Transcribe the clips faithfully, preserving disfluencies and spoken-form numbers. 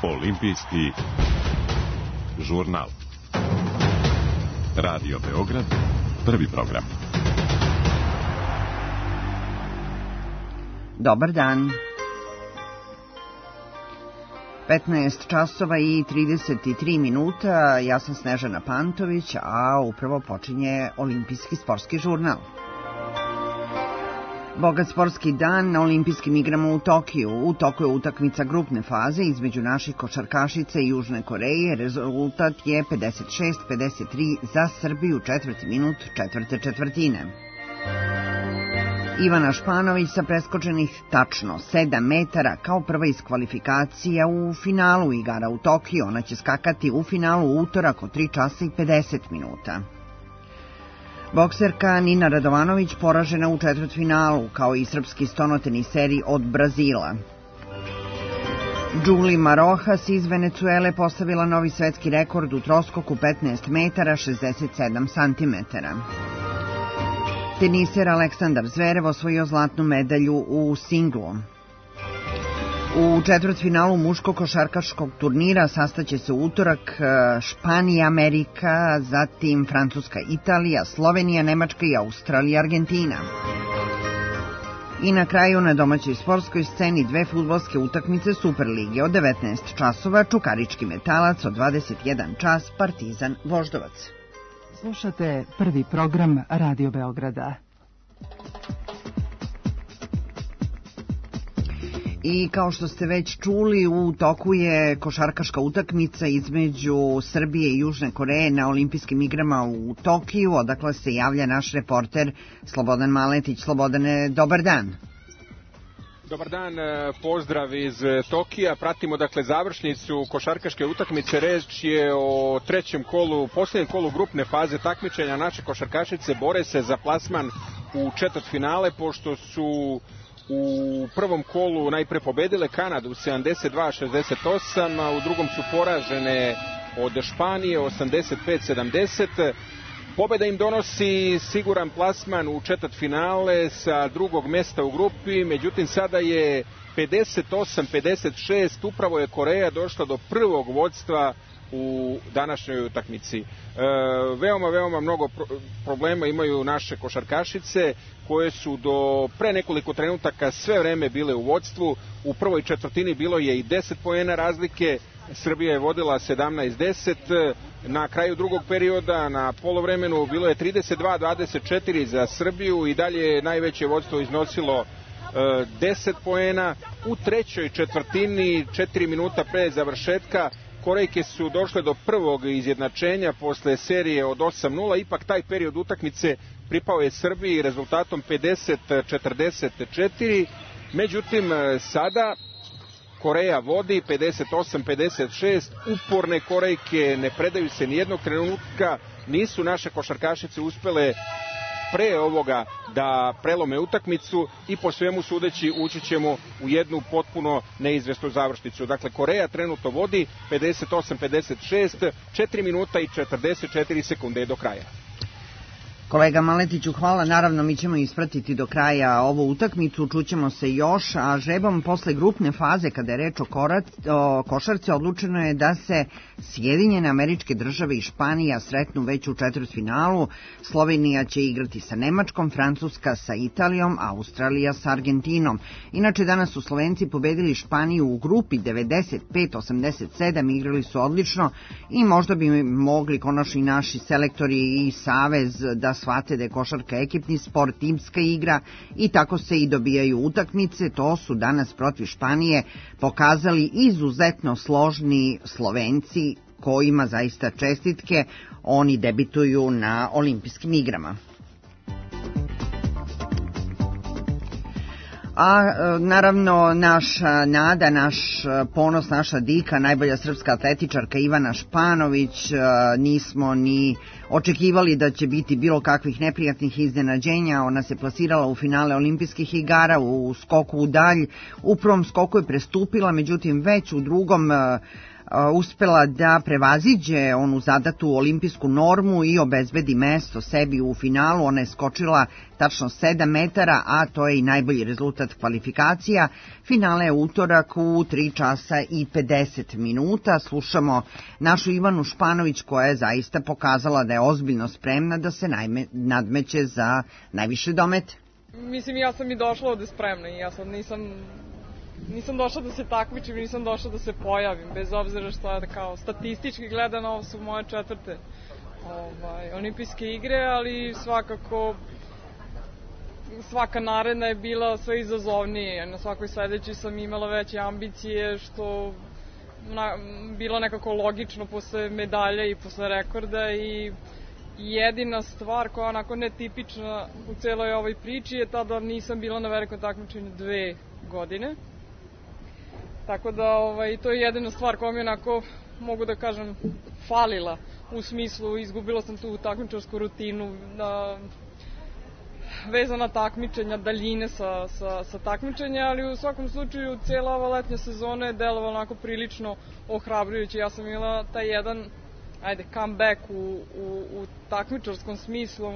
Olimpijski žurnal. Radio Beograd, prvi program. Dobar dan. petnaest časova i trideset tri minuta, ja sam Snežana Pantović, a upravo počinje Olimpijski sportski žurnal. Bogat sportski dan na Olimpijskim igrama u Tokiju. U toku je utakmica grupne faze između naših košarkašica i Južne Koreje. Rezultat je pedeset šest pedeset tri za Srbiju, četvrti minut četvrte četvrtine. Ivana Španović sa preskočenih tačno sedam metara kao prva iz kvalifikacija u finalu igara u Tokiju. Ona će skakati u finalu u utorak od tri časa i pedeset minuta. Bokserka Nina Radovanović poražena u četvrtfinalu, kao i srpski stonoteniseri od Brazila. Julima Rojas iz Venecuele postavila novi svetski rekord u troskoku petnaest metara šezdeset sedam santimetara. Teniser Aleksandar Zverev osvojio zlatnu medalju u singlu. U četvrtfinalu muškog košarkaškog turnira sastaće se u utorak Španija, Amerika, zatim Francuska, Italija, Slovenija, Nemačka i Australija, Argentina. I na kraju na domaćoj sportskoj sceni dve fudbalske utakmice Superlige od devetnaest časova, Čukarički Metalac od dvadeset jedan čas, Partizan Voždovac. Slušate prvi program Radio Beograda. I kao što ste već čuli, u toku je košarkaška utakmica između Srbije i Južne Koreje na Olimpijskim igrama u Tokiju, odakle se javlja naš reporter Slobodan Maletić. Slobodane, dobar dan. Dobar dan, pozdrav iz Tokija. Pratimo dakle završnicu košarkaške utakmice. Reč je o trećem kolu, posljednjem kolu grupne faze takmičenja. Naše košarkašice bore se za plasman u četvrtfinale, pošto su u prvom kolu najpre pobedile Kanadu sedamdeset dva šezdeset osam, a u drugom su poražene od Španije osamdeset pet sedamdeset. Pobeda im donosi siguran plasman u četvrtfinale sa drugog mesta u grupi, međutim sada je pedeset osam pedeset šest, upravo je Koreja došla do prvog vodstva u današnjoj utakmici. E, veoma, veoma mnogo pro- problema imaju naše košarkašice, koje su do pre nekoliko trenutaka sve vreme bile u vodstvu. U prvoj četvrtini bilo je i deset poena razlike, Srbija je vodila sedamnaest deset, na kraju drugog perioda, na polovremenu, bilo je trideset dva dvadeset četiri za Srbiju i dalje je najveće vodstvo iznosilo e, deset poena. U trećoj četvrtini, četiri minuta pre završetka, Korejke su došle do prvog izjednačenja posle serije od osam nula, ipak taj period utakmice pripao je Srbiji rezultatom pedeset četrdeset četiri, međutim sada Koreja vodi pedeset osam pedeset šest, uporne Korejke ne predaju se nijednog trenutka, nisu naše košarkašice uspele pre ovoga da prelome utakmicu i po svemu sudeći ući ćemo u jednu potpuno neizvesnu završnicu. Dakle, Koreja trenutno vodi pedeset osam pedeset šest, četiri minuta i četrdeset četiri sekunde do kraja. Kolega Maletiću, hvala. Naravno, mi ćemo ispratiti do kraja ovu utakmicu, čućemo se još, a žrebom posle grupne faze, kada je reč o, korac, o košarci, odlučeno je da se Sjedinjene Američke Države i Španija sretnu već u četvrtfinalu. Slovenija će igrati sa Nemačkom, Francuska sa Italijom, Australija sa Argentinom. Inače, danas su Slovenci pobedili Španiju u grupi devedeset pet osamdeset sedam, igrali su odlično i možda bi mogli konačno i naši selektori i savez da shvate da je košarka ekipni sport, timska igra i tako se i dobijaju utakmice. To su danas protiv Španije pokazali izuzetno složni Slovenci, kojima zaista čestitke, oni debituju na Olimpijskim igrama. A naravno naša nada, naš ponos, naša dika, najbolja srpska atletičarka Ivana Španović, nismo ni očekivali da će biti bilo kakvih neprijatnih iznenađenja. Ona se plasirala u finale olimpijskih igara u skoku u dalj. U prvom skoku je prestupila, međutim već u drugom uspela da prevaziđe onu zadatu olimpijsku normu i obezbedi mesto sebi u finalu. Ona je skočila tačno sedam metara, a to je i najbolji rezultat kvalifikacija. Finale je utorak u tri časa i pedeset minuta. Slušamo našu Ivanu Španović koja je zaista pokazala da je ozbiljno spremna da se najme, nadmeće za najviše domete. Mislim, ja sam i došla ovde spremna i ja sad nisam... Nisam došla da se takmičim, nisam došla da se pojavim, bez obzira što je kao statistički gledano, ovo su moje četvrte ovaj, olimpijske igre, ali svakako svaka naredna je bila sve izazovnije. Na svakoj sledećoj sam imala veće ambicije, što na, bilo nekako logično posle medalja i posle rekorda i jedina stvar koja je onako netipična u celoj ovoj priči je ta da nisam bila na velikom takmičenju dve godine. Tako da ovaj, to je jedina stvar koja mi onako, mogu da kažem, falila. U smislu, izgubila sam tu takmičarsku rutinu, da, vezana takmičenja, daljine sa, sa, sa takmičenja, ali u svakom slučaju cijela ova letnja sezona je delovala onako prilično ohrabrujuće. Ja sam imala taj jedan, ajde, comeback u, u, u takmičarskom smislu,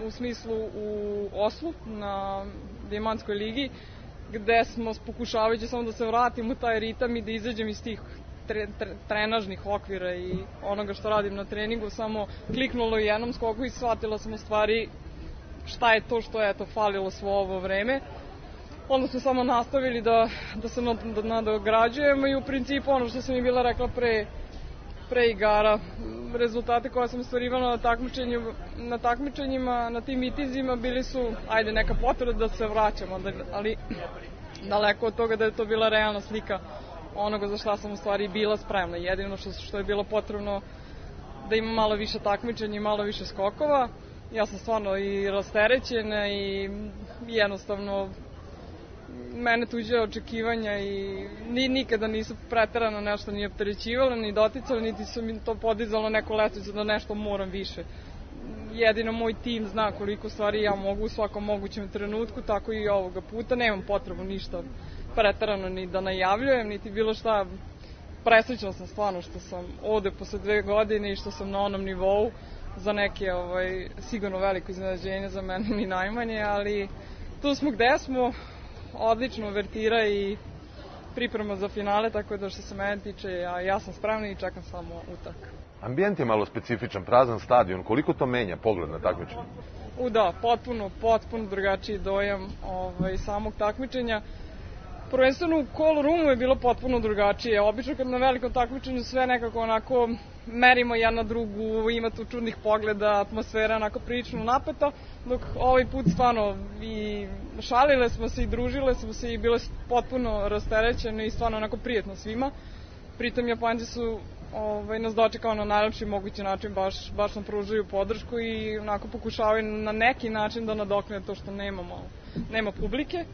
u smislu u Oslu, na Dijamantskoj ligi, gde smo pokušavajući samo da se vratim u taj ritam i da izađem iz tih tre, tre, trenažnih okvira i onoga što radim na treningu, samo kliknulo u jednom skoku i shvatila sam u stvari šta je to što je eto falilo svo ovo vreme. Onda smo samo nastavili da, da se nadograđujemo i u principu ono što sam i bila rekla pre, pre igara, rezultate koje sam ostvarivala na, takmičenju, na takmičenjima, na tim mitinzima bili su, ajde, neka potreba da se vraćamo, ali daleko od toga da je to bila realna slika onoga za šta sam u stvari bila spremna. Jedino što, što je bilo potrebno da imam malo više takmičenja i malo više skokova. Ja sam stvarno i rasterećena i jednostavno mene tuđe očekivanja i ni, nikada nisu preterano nešto ni opterećivalo, ni doticalo, niti su mi to podizalo neku lestvicu da nešto moram više. Jedino moj tim zna koliko stvari ja mogu u svakom mogućem trenutku, tako i ovoga puta. Nemam potrebu ništa preterano ni da najavljujem, niti bilo šta. Presrećna sam stvarno što sam ovde posle dve godine i što sam na onom nivou. Za neke ovaj, sigurno veliko iznenađenje, za mene ni najmanje, ali tu smo gde smo. Odlično uvertira i priprema za finale, tako da što se mene tiče, ja, ja sam spremna i čekam samo utak. Ambijent je malo specifičan, prazan stadion, koliko to menja pogled na takmičenje? U da, potpuno, potpuno drugačiji dojam ovaj, samog takmičenja. Prvenstveno u Call Roomu je bilo potpuno drugačije. Obično kad na velikom takmičenju sve nekako onako merimo jedna drugu, ima tu čudnih pogleda, atmosfera onako prilično napeta, dok ovaj put stvarno i šalile smo se i družile smo se i bile potpuno rasterećene i stvarno onako prijetno svima. Pritom Japanci su ovaj, nas dočekao na najlepši mogući način, baš, baš nam pružaju podršku i onako pokušavaju na neki način da nadoknade to što nemamo, nema publike.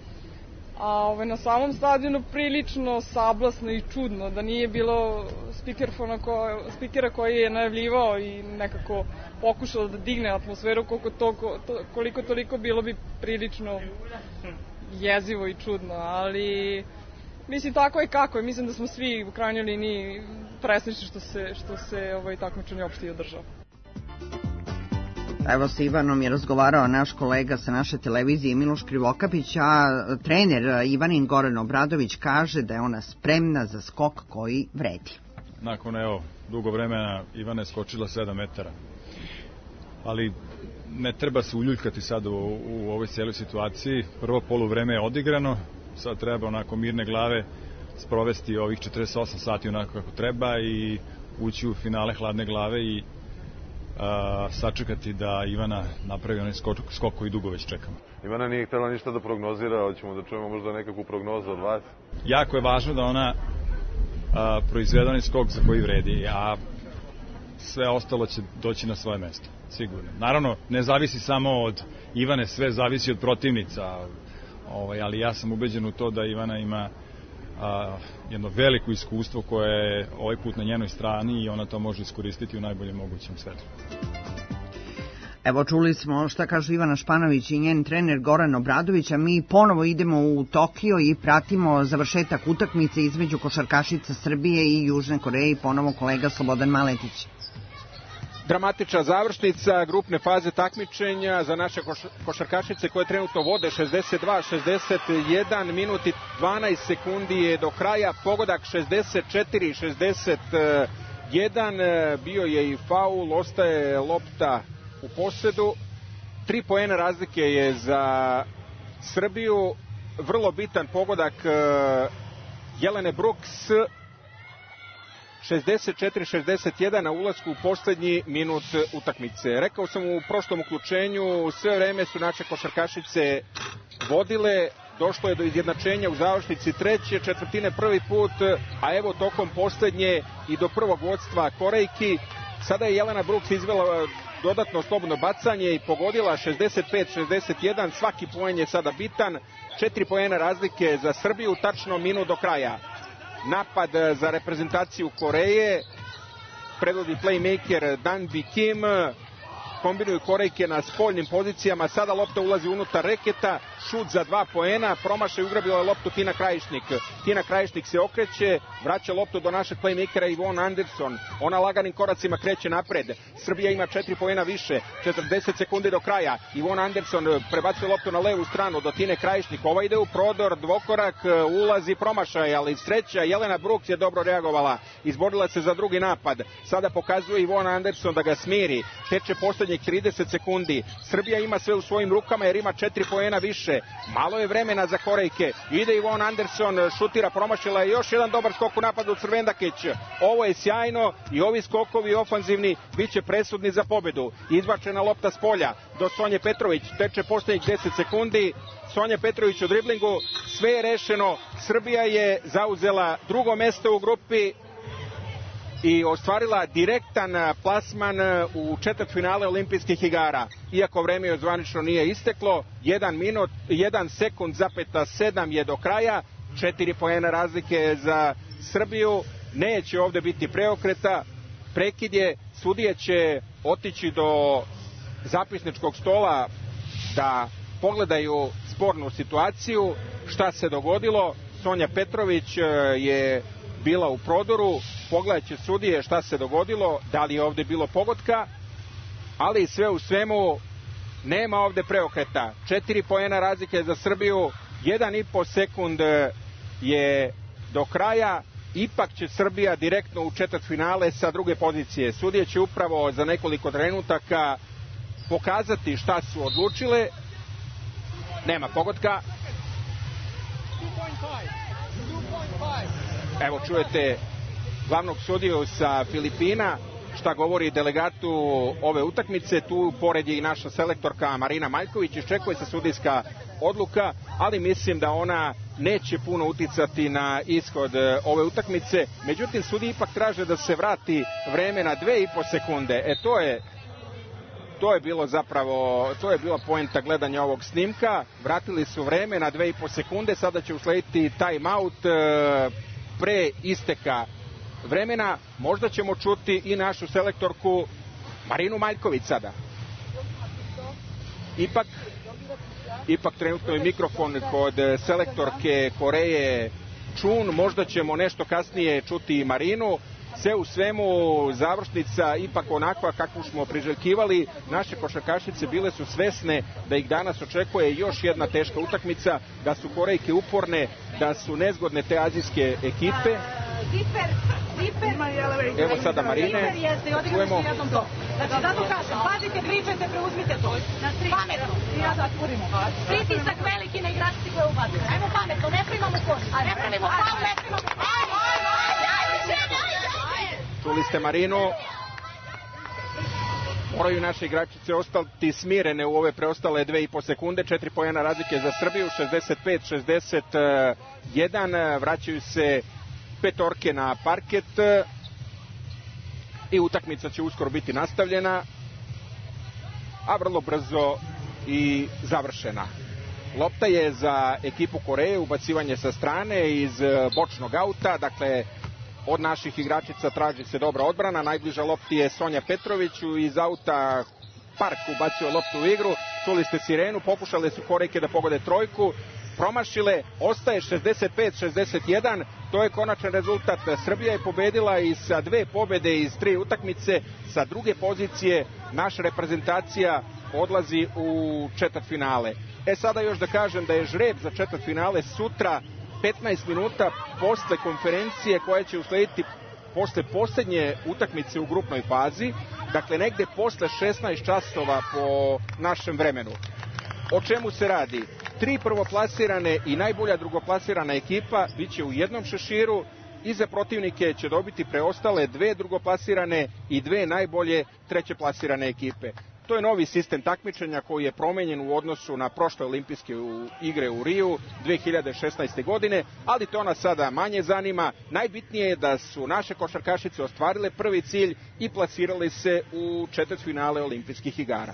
A ovaj, na samom stadionu prilično sablasno i čudno, da nije bilo ko, spikera koji je najavljivao i nekako pokušao da digne atmosferu, koliko, to, koliko toliko bilo bi prilično jezivo i čudno, ali mislim tako je kako je, mislim da smo svi u krajnjoj liniji presrećni što se, što se ovaj, takmičenje uopšte održao. Evo sa Ivanom je razgovarao naš kolega sa naše televizije Miloš Krivokapić, a trener Ivanin Goran Obradović kaže da je ona spremna za skok koji vredi. Nakon evo dugo vremena Ivana je skočila sedam metara, ali ne treba se uljuljkati sad u, u ovoj cijeloj situaciji. Prvo poluvreme je odigrano, sad treba onako mirne glave sprovesti ovih četrdeset osam sati onako kako treba i ući u finale hladne glave i Uh, sačekati da Ivana napravi onaj skok, skok koji dugo već čekamo. Ivana nije htjela ništa da prognozira, hoćemo da čujemo možda nekakvu prognozu od vas. Jako je važno da ona uh, proizvede onaj skok za koji vredi, a sve ostalo će doći na svoje mesto, sigurno. Naravno, ne zavisi samo od Ivane, sve zavisi od protivnica, ovaj, ali ja sam ubeđen u to da Ivana ima a, jedno veliko iskustvo koje je ovaj put na njenoj strani i ona to može iskoristiti u najboljem mogućem svetlu. Evo, čuli smo šta kažu Ivana Španović i njen trener Goran Obradović, a mi ponovo idemo u Tokio i pratimo završetak utakmice između košarkašica Srbije i Južne Koreje i ponovo kolega Slobodan Maletić. Dramatična završnica grupne faze takmičenja za naše košarkašice koje trenutno vode šezdeset dva šezdeset jedan, minut i dvanaest sekundi je do kraja, pogodak šezdeset četiri šezdeset jedan, bio je i faul, ostaje lopta u posedu, tri poena razlike je za Srbiju, vrlo bitan pogodak Jelene Brooks, šezdeset četiri šezdeset jedan na ulasku u poslednji minut utakmice. Rekao sam u prošlom uključenju, sve vreme su naše košarkašice vodile, došlo je do izjednačenja u završnici treće četvrtine prvi put, a evo tokom poslednje i do prvog vodstva Korejki. Sada je Jelena Brooks izvela dodatno slobodno bacanje i pogodila šezdeset pet šezdeset jedan, svaki poen je sada bitan, četiri poena razlike za Srbiju, tačno minut do kraja. Napad za reprezentaciju Koreje, predvodi playmaker Danbi Kim, kombinuju Korejke na spoljnim pozicijama, sada lopta ulazi unutar reketa, šut za dva poena, promašaj, ugrabila je loptu Tina Krajišnik. Tina Krajišnik se okreće, vraća loptu do našeg playmakera Ivonne Anderson, ona laganim koracima kreće napred, Srbija ima četiri poena više, četrdeset sekundi do kraja, Ivonne Anderson prebacuje loptu na levu stranu do Tine Krajišnik, ova ide u prodor, dvokorak, ulazi, promašaj, ali sreća, Jelena Brooks je dobro reagovala, izborila se za drugi napad, sada pokazuje Ivonne Anderson da ga smiri, teče poslednjih trideset sekundi, Srbija ima sve u svojim rukama jer ima četiri poena više, malo je vremena za Korejke, ide Ivonne Anderson, šutira, promašila je, još jedan dobar skok u napadu Crvendakić, ovo je sjajno i ovi skokovi ofanzivni bit će presudni za pobedu, izbačena lopta s polja do Sonje Petrović, teče poslednjih deset sekundi, Sonja Petrović u driblingu, sve je rešeno, Srbija je zauzela drugo mesto u grupi i ostvarila direktan plasman u četvrtfinale olimpijskih igara. Iako vreme još zvanično nije isteklo, jedan minut, jedan sekund zapeta sedam je do kraja, četiri poena razlike za Srbiju, neće ovde biti preokreta, prekid je, sudije će otići do zapisničkog stola da pogledaju spornu situaciju, šta se dogodilo. Sonja Petrović je bila u prodoru, pogledat će sudije šta se dogodilo, da li je ovde bilo pogotka, ali sve u svemu nema ovde preokreta. Četiri poena razlike za Srbiju, jedan i po sekund je do kraja, ipak će Srbija direktno u četvrtfinale sa druge pozicije. Sudije će upravo za nekoliko trenutaka pokazati šta su odlučile. Nema pogotka. Evo čujete glavnog sudiju sa Filipina, šta govori delegatu ove utakmice, tu pored je i naša selektorka Marina Maljković, iščekuje se sudijska odluka, ali mislim da ona neće puno uticati na ishod ove utakmice, međutim sudiji ipak traže da se vrati vreme na dve i po sekunde, e to je to je bilo zapravo, to je bila poenta gledanja ovog snimka, vratili su vreme na dve i po sekunde, sada će uslediti time out pre isteka vremena, možda ćemo čuti i našu selektorku Marinu Maljković sada. Ipak, ipak trenutno je mikrofon kod selektorke Koreje Čun, možda ćemo nešto kasnije čuti i Marinu. Sve u svemu završnica ipak onakva kakvu smo priželjkivali, naše košarkašice bile su svesne da ih danas očekuje još jedna teška utakmica, da su Korejke uporne, da su nezgodne te azijske ekipe. Evo sada Marine, čujemo. Znači, zato kažem, pazite, pričajte, preuzmite to. Pametno. Pritisak veliki na igračici koje ubazuje. Ajmo pametno, ne primamo koš. Ne primamo faul, ne primamo faul. Čuli ste Marinu. Moraju naše igračice ostati smirene u ove preostale dve i po sekunde. Četiri poena razlike za Srbiju, šezdeset pet šezdeset jedan. Vraćaju se petorke na parket i utakmica će uskoro biti nastavljena, a vrlo brzo i završena. Lopta je za ekipu Koreje, ubacivanje sa strane iz bočnog auta, dakle od naših igračica traži se dobra odbrana, najbliža lopti je Sonja Petrović, iz auta Park ubacio loptu u igru, čuli ste sirenu, pokušale su Korejke da pogode trojku, promašile, ostaje šezdeset pet šezdeset jedan, to je konačan rezultat. Srbija je pobedila i sa dve pobede iz tri utakmice, sa druge pozicije naša reprezentacija odlazi u četvrtfinale. E sada još da kažem da je žreb za četvrtfinale sutra petnaest minuta posle konferencije koja će uslediti posle poslednje utakmice u grupnoj fazi, dakle negde posle šesnaest časova po našem vremenu. O čemu se radi? Tri prvoplasirane i najbolja drugoplasirana ekipa biće u jednom šeširu, i za protivnike će dobiti preostale dve drugoplasirane i dve najbolje trećeplasirane ekipe. To je novi sistem takmičenja koji je promenjen u odnosu na prošle olimpijske igre u Riju dve hiljade šesnaeste. godine, ali to nas sada manje zanima. Najbitnije je da su naše košarkašice ostvarile prvi cilj i plasirali se u četvrtfinale olimpijskih igara.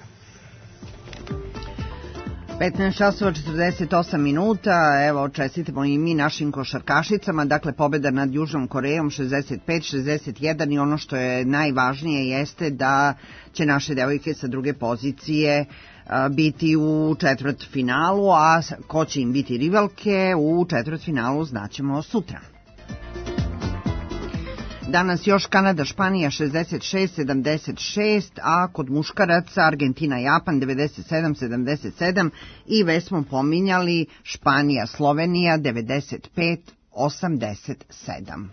petnaest časova četrdeset osam minuta, evo čestitamo i mi našim košarkašicama, dakle pobeda nad Južnom Korejom šezdeset pet šezdeset jedan i ono što je najvažnije jeste da će naše devojke sa druge pozicije biti u četvrtfinalu, a ko će im biti rivalke u četvrtfinalu znaćemo sutra. Danas još Kanada, Španija šezdeset šest sedamdeset šest, a kod muškaraca Argentina, Japan devedeset sedam sedamdeset sedam i već smo pominjali Španija, Slovenija devedeset pet osamdeset sedam.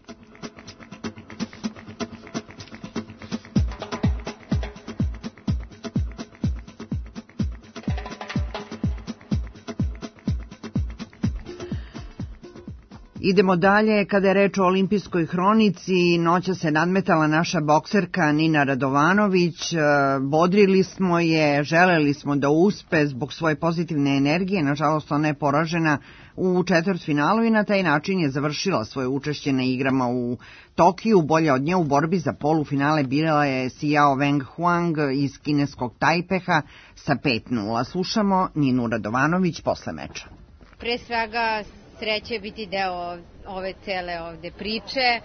Idemo dalje, kada je reč o olimpijskoj hronici, noća se nadmetala naša bokserka Nina Radovanović, bodrili smo je, želeli smo da uspe zbog svoje pozitivne energije, nažalost ona je poražena u četvrtfinalu i na taj način je završila svoje učešće na igrama u Tokiju. Bolje od nje u borbi za polufinale bila je Xiao Weng Huang iz kineskog Tajpeha sa pet nula. Slušamo Ninu Radovanović posle meča. Pre svega sreće biti deo ove cele ovde priče.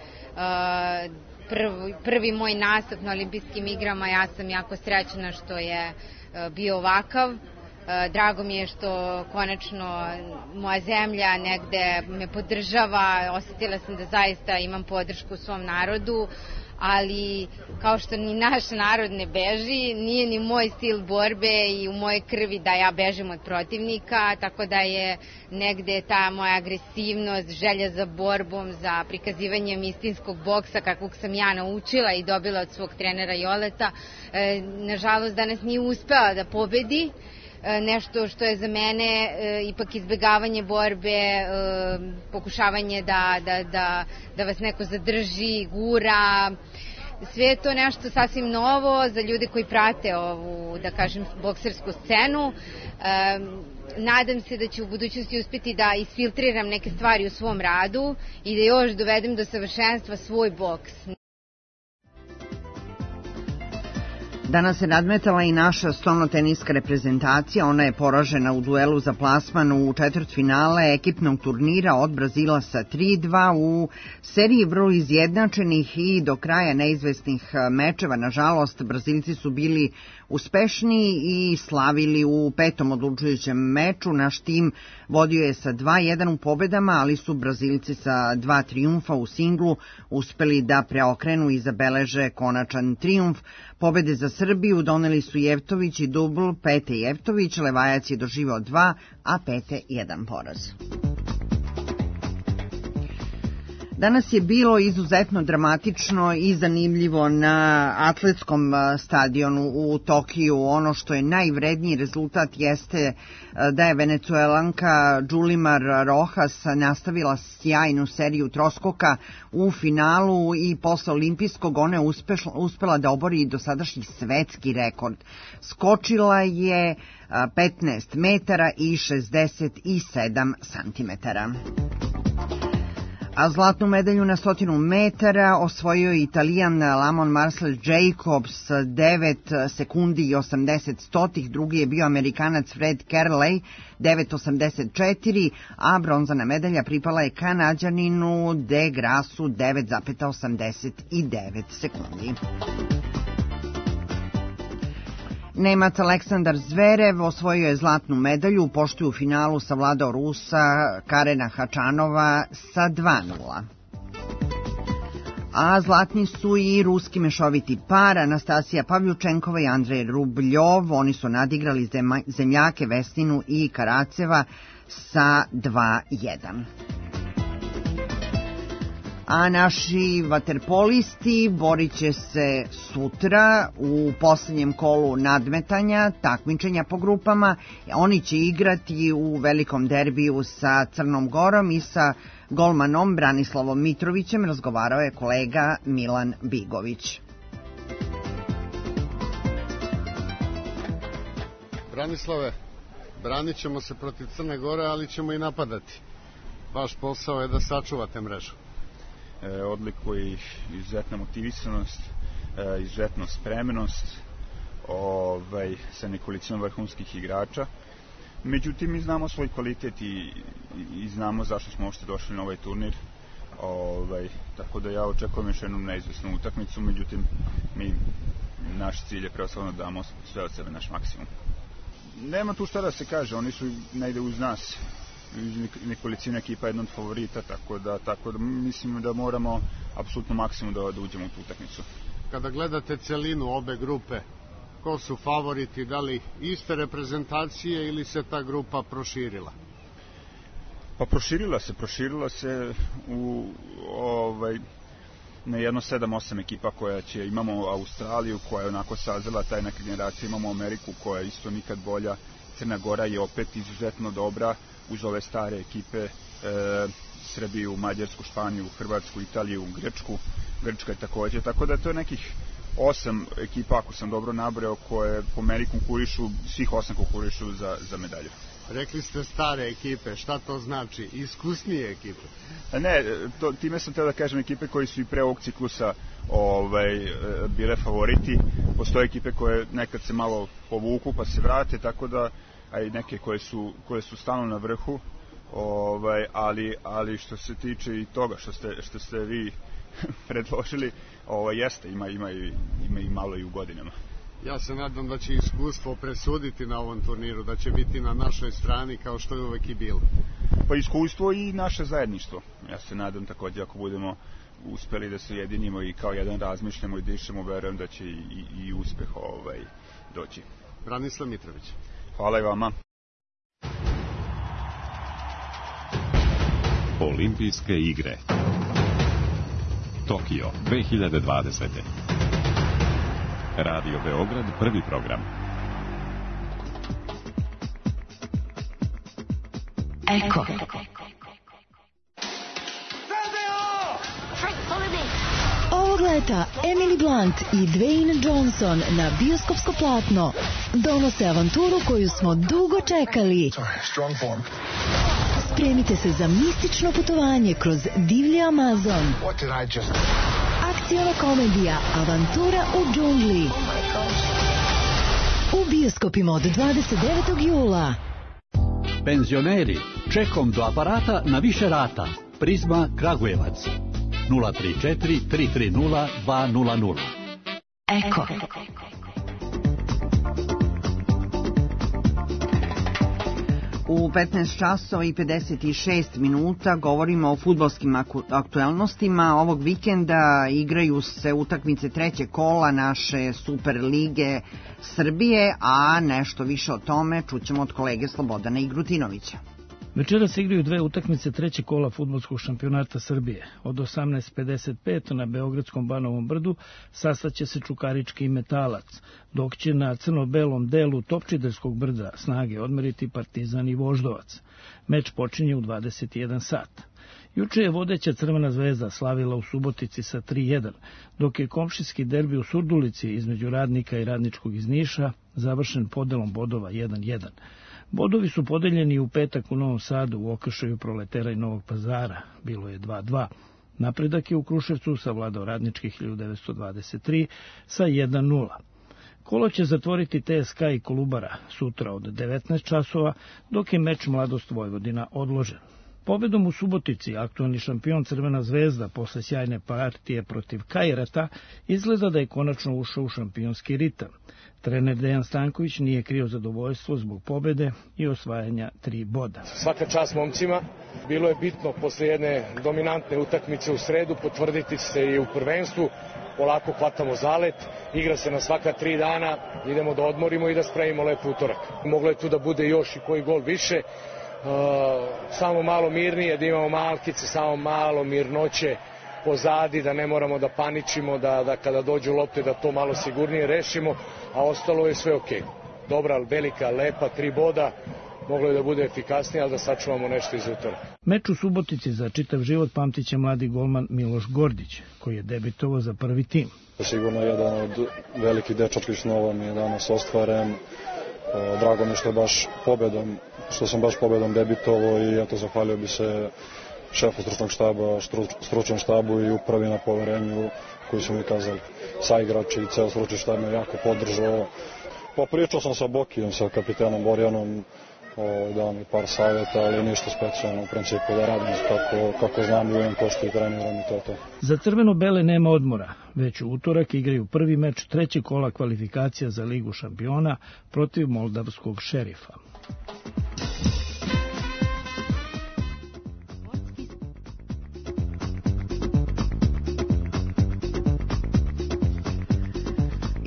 Prvi, prvi moj nastup na olimpijskim igrama, ja sam jako srećna što je bio ovakav. Drago mi je što konačno moja zemlja negde me podržava, osetila sam da zaista imam podršku u svom narodu, ali kao što ni naš narod ne beži, nije ni moj stil borbe i u mojoj krvi da ja bežim od protivnika, tako da je negde ta moja agresivnost, želja za borbom, za prikazivanjem istinskog boksa kakvog sam ja naučila i dobila od svog trenera Joleta, nažalost danas nije uspela da pobedi. Nešto što je za mene e, ipak izbegavanje borbe, e, pokušavanje da, da, da, da vas neko zadrži, gura. Sve je to nešto sasvim novo za ljude koji prate ovu, da kažem, boksersku scenu. E, nadam se da ću u budućnosti uspjeti da isfiltriram neke stvari u svom radu i da još dovedem do savršenstva svoj boks. Danas se nadmetala i naša stolnoteniska reprezentacija, ona je poražena u duelu za plasman u četvrtfinale ekipnog turnira od Brazila sa tri dva u seriji vrlo izjednačenih i do kraja neizvesnih mečeva. Nažalost, Brazilci su bili uspešniji i slavili u petom odlučujućem meču. Naš tim vodio je sa dva jedan u pobedama, ali su Brazilci sa dva trijumfa u singlu uspeli da preokrenu i zabeleže konačan trijumf. Pobede za Srbiju doneli su Jevtović i dubl Pete Jevtović, Levajac je doživao dva, a Pete jedan poraz. Danas je bilo izuzetno dramatično i zanimljivo na atletskom stadionu u Tokiju. Ono što je najvredniji rezultat jeste da je Venecuelanka Julimar Rojas nastavila sjajnu seriju troskoka u finalu i posle olimpijskog ona je uspela da obori dosadašnji svetski rekord. Skočila je petnaest metara i šezdeset sedam santimetara. A zlatnu medalju na stotinu metara osvojio je Italijan Lamon Marcel Jacobs devet sekundi i osamdeset stotih, drugi je bio Amerikanac Fred Kerley devet osamdeset četiri, a bronzana medalja pripala je Kanađaninu De Grassu devet osamdeset devet sekundi. Nemac Aleksandar Zverev osvojio je zlatnu medalju u poštu u finalu savladao Rusa Karena Hačanova sa dva nula. A zlatni su i ruski mešoviti par Anastasija Pavljučenkova i Andrej Rubljov. Oni su nadigrali zemljake Vesninu i Karaceva sa dva jedan. A naši vaterpolisti borit će se sutra u posljednjem kolu nadmetanja, takmičenja po grupama. Oni će igrati u velikom derbiju sa Crnom Gorom i sa golmanom Branislavom Mitrovićem. Razgovarao je kolega Milan Bigović. Branislave, branit ćemo se protiv Crne Gore, ali ćemo i napadati. Vaš posao je da sačuvate mrežu. E, odlikuje ih izuzetna motivisanost, e, izuzetna spremnost ovaj, sa nekolicinom vrhunskih igrača. Međutim, mi znamo svoj kvalitet i, i znamo zašto smo uopšte došli na ovaj turnir. Ovaj, tako da ja očekujem još jednu neizvesnu utakmicu, međutim, mi, naš cilj je preoslovno da damo sve od sebe, naš maksimum. Nema tu šta da se kaže, oni su negde uz nas. Nekolicina ekipa je jedna od favorita, tako da, tako da mislim da moramo apsolutno maksimum da, da uđemo u tu utakmicu. Kada gledate celinu obe grupe, ko su favoriti, da li iste reprezentacije ili se ta grupa proširila? Pa proširila se, proširila se u ovaj na jedno sedam osam ekipa koja će, imamo Australiju koja je onako sazela taj neka generacija, imamo Ameriku koja je isto nikad bolja, Crna Gora je opet izuzetno dobra uz ove stare ekipe, e, Srbiju, Mađarsku, Španiju, Hrvatsku, Italiju, Grčku, Grčka je takođe, tako da to je nekih osam ekipa, ako sam dobro nabrao, koje po meni konkurišu, svih osam konkurišu za, za medalju. Rekli ste stare ekipe, šta to znači? Iskusnije ekipe? Ne, to, time sam teo da kažem ekipe koji su i pre ovog ciklusa ovaj, bile favoriti. Postoje ekipe koje nekad se malo povuku pa se vrate, tako da, a i neke koje su, koje su stalno na vrhu, ovaj, ali, ali što se tiče i toga što ste, što ste vi predložili, ovaj, jeste, ima, ima, i, ima i malo i u godinama. Ja se nadam da će iskustvo presuditi na ovom turniru, da će biti na našoj strani kao što je uvek i bilo. Pa iskustvo i naše zajedništvo. Ja se nadam takođe ako budemo uspeli da se ujedinimo i kao jedan razmišljamo i dišemo, verujem da će i, i, i uspeh ovaj, doći. Branislav Mitrović. Hvala i vama. Olimpijske igre Tokio dve hiljade dvadesete. Radio Beograd, prvi program. Eko. Ovog leta Emily Blunt i Dwayne Johnson na bioskopsko platno donose avanturu koju smo dugo čekali. Spremite se za mistično putovanje kroz divlji Amazon. Akcijona komedija Avantura u džungli. U bioskopima od dvadeset devetog jula. Penzioneri, čekom do aparata na više rata. Prizma Kragujevac. nula tri četiri tri tri nula dva nula nula. Eko. U petnaest časova i pedeset šest minuta govorimo o fudbalskim aktuelnostima. Ovog vikenda igraju se utakmice trećeg kola naše Super lige Srbije, a nešto više o tome čućemo od kolege Slobodana Igrutinovića. Večeras se igraju dve utakmice trećeg kola fudbalskog šampionata Srbije. Od osamnaest pedeset pet na Beogradskom Banovom brdu sastaće se Čukarički i Metalac, dok će na crno-belom delu Topčiderskog brda snage odmeriti Partizan i Voždovac. Meč počinje u dvadeset jedan sat. Juče je vodeća Crvena zvezda slavila u Subotici sa tri jedan, dok je komšijski derbi u Surdulici između Radnika i Radničkog iz Niša završen podelom bodova jedan jedan. Bodovi su podeljeni u petak u Novom Sadu u okršaju Proletera i Novog Pazara. Bilo je dva dva. Napredak je u Kruševcu savladao Radnički hiljadu devetsto dvadeset tri sa jedan nula. Kolo će zatvoriti T S K i Kolubara sutra od devetnaest časova, dok je meč Mladost Vojvodina odložen. Pobedom u Subotici aktualni šampion Crvena zvezda posle sjajne partije protiv Kajrata izgleda da je konačno ušao u šampionski ritam. Trener Dejan Stanković nije krio zadovoljstvo zbog pobede i osvajanja tri boda. Svaka čast momcima. Bilo je bitno posle jedne dominantne utakmice u sredu potvrditi se i u prvenstvu. Polako hvatamo zalet, igra se na svaka tri dana, idemo da odmorimo i da spravimo lep utorak. Moglo je tu da bude još i koji gol više, uh, samo malo mirnije, da imamo malkice, samo malo mirnoće pozadi, da ne moramo da paničimo, da, da kada dođu lopte da to malo sigurnije rešimo, a ostalo je sve okej. Dobra, velika, lepa, tri boda, moglo je da bude efikasnije, ali da sačuvamo nešto iz utoraka. Meč u Subotici za čitav život pamtiće mladi golman Miloš Gordić, koji je debitovao za prvi tim. Sigurno jedan od velikih dečačkih snova mi je danas ostvaren. Drago mi što je baš pobedom, što sam baš pobedom debitovao i eto zahvalio bi se šefu stručnog štaba, stručnom štabu i upravi na poverenju koji su mi kazali. Saigrači i ceo stručni štab me jako podržao. Popričao sam sa Bokijom, sa kapitenom Borjanom, dao mi par savjeta, ali ništa specijalno u principu da radim kako, kako znam, ljujem pošto i treniram i to to. Za crveno-bele nema odmora. Već u utorak igraju prvi meč trećeg kola kvalifikacija za Ligu šampiona protiv moldavskog Šerifa.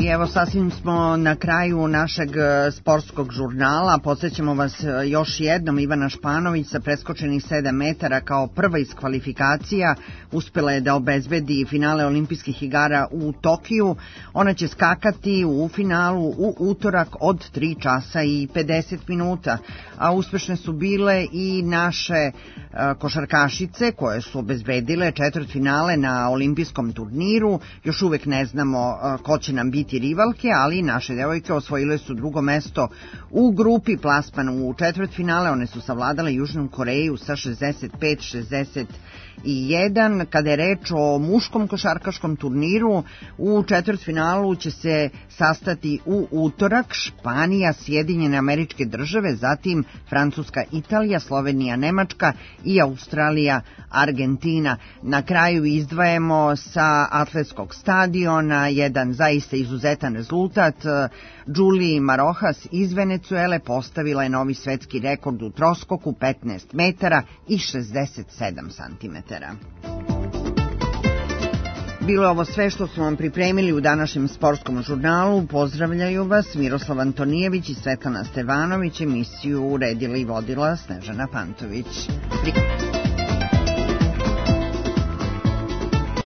I evo sasvim smo na kraju našeg sportskog žurnala. Podsjećamo vas još jednom, Ivana Španović sa preskočenih sedam metara kao prva iz kvalifikacija uspela je da obezbedi finale olimpijskih igara u Tokiju. Ona će skakati u finalu u utorak od tri časa i pedeset minuta. A uspešne su bile i naše košarkašice koje su obezbedile četvrtfinale na olimpijskom turniru. Još uvek ne znamo ko će nam biti rivalke, ali naše devojke osvojile su drugo mesto u grupi, plasman u četvrtfinale. One su savladale Južnu Koreju sa šezdeset pet šezdeset jedan. Kada je reč o muškom košarkaškom turniru, u četvrtfinalu će se sastati u utorak Španija, Sjedinjene Američke Države, zatim Francuska, Italija, Slovenija, Nemačka i Australija, Argentina. Na kraju izdvajamo sa atletskog stadiona jedan zaista izuzetan rezultat. Julie Marojas iz Venecuele postavila je novi svetski rekord u troskoku, petnaest metara i šezdeset sedam santimetara. Bilo je ovo sve što smo vam pripremili u današnjem sportskom žurnalu. Pozdravljaju vas Miroslav Antonijević i Svetlana Stevanović. Emisiju uredila i vodila Snežana Pantović. Prijetno.